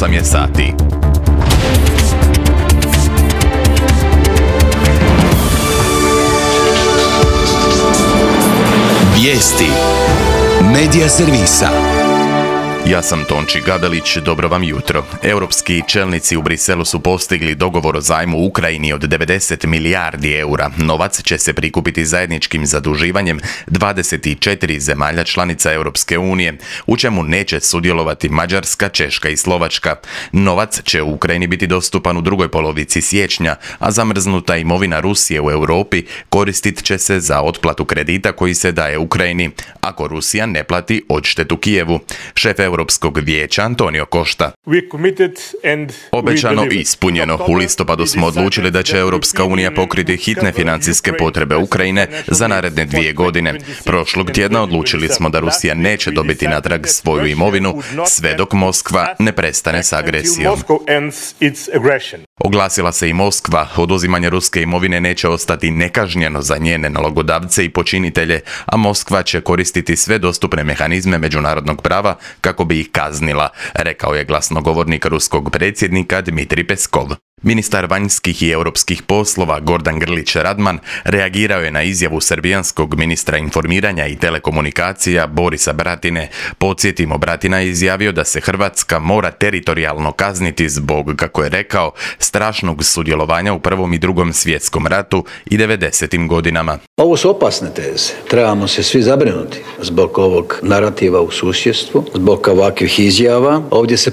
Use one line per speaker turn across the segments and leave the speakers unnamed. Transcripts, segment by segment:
8 je sati.
Vijesti Medija servisa.
Ja sam Tonči Gabelić, dobro vam jutro. Europski čelnici u Briselu su postigli dogovor o zajmu Ukrajini od 90 milijardi eura. Novac će se prikupiti zajedničkim zaduživanjem 24 zemalja članica Europske unije, u čemu neće sudjelovati Mađarska, Češka i Slovačka. Novac će u Ukrajini biti dostupan u drugoj polovici siječnja, a zamrznuta imovina Rusije u Europi koristit će se za otplatu kredita koji se daje Ukrajini, ako Rusija ne plati odštetu Kijevu. Šef Europskog vijeća Antonio Costa. Obećano i ispunjeno. U listopadu smo odlučili da će Europska unija pokriti hitne financijske potrebe Ukrajine za naredne 2 godine. Prošlog tjedna odlučili smo da Rusija neće dobiti natrag svoju imovinu sve dok Moskva ne prestane s agresijom. Oglasila se i Moskva. Oduzimanje ruske imovine neće ostati nekažnjeno za njene nalogodavce i počinitelje, a Moskva će koristiti sve dostupne mehanizme međunarodnog prava kako bi ih kaznila, rekao je glasnogovornik ruskog predsjednika Dmitrij Peskov. Ministar vanjskih i europskih poslova Gordan Grlić Radman reagirao je na izjavu srbijanskog ministra informiranja i telekomunikacija Borisa Bratine. Podsjetimo, Bratina je izjavio da se Hrvatska mora teritorijalno kazniti zbog, kako je rekao, strašnog sudjelovanja u Prvom i Drugom svjetskom ratu i 90. godinama.
Ovo su opasne teze. Trebamo se svi zabrinuti zbog ovog narativa u susjedstvu, zbog ovakvih izjava. Ovdje se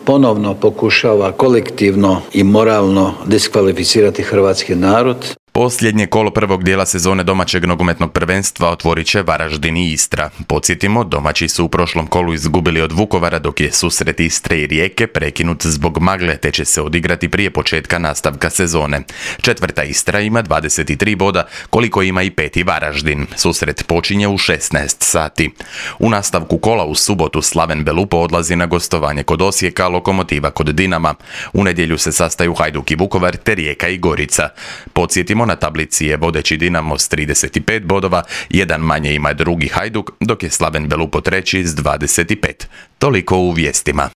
ponovno pokušava kolektivno i moralno diskvalificirati hrvatski narod.
Posljednje kolo prvog dijela sezone domaćeg nogometnog prvenstva otvorit će Varaždin i Istra. Podsjetimo, domaći su u prošlom kolu izgubili od Vukovara, dok je susret Istre i Rijeke prekinut zbog magle, te će se odigrati prije početka nastavka sezone. 4. Istra ima 23 boda, koliko ima i 5. Varaždin. Susret počinje u 16 sati. U nastavku kola u subotu Slaven Belupo odlazi na gostovanje kod Osijeka, Lokomotiva kod Dinama. U nedjelju se sastaju Hajduk i Vukovar, te Rijeka i Gorica. Podsjetimo, na tablici je vodeći Dinamo s 35 bodova, jedan manje ima drugi Hajduk, dok je Slaven Belupo treći s 25. Toliko u vijestima.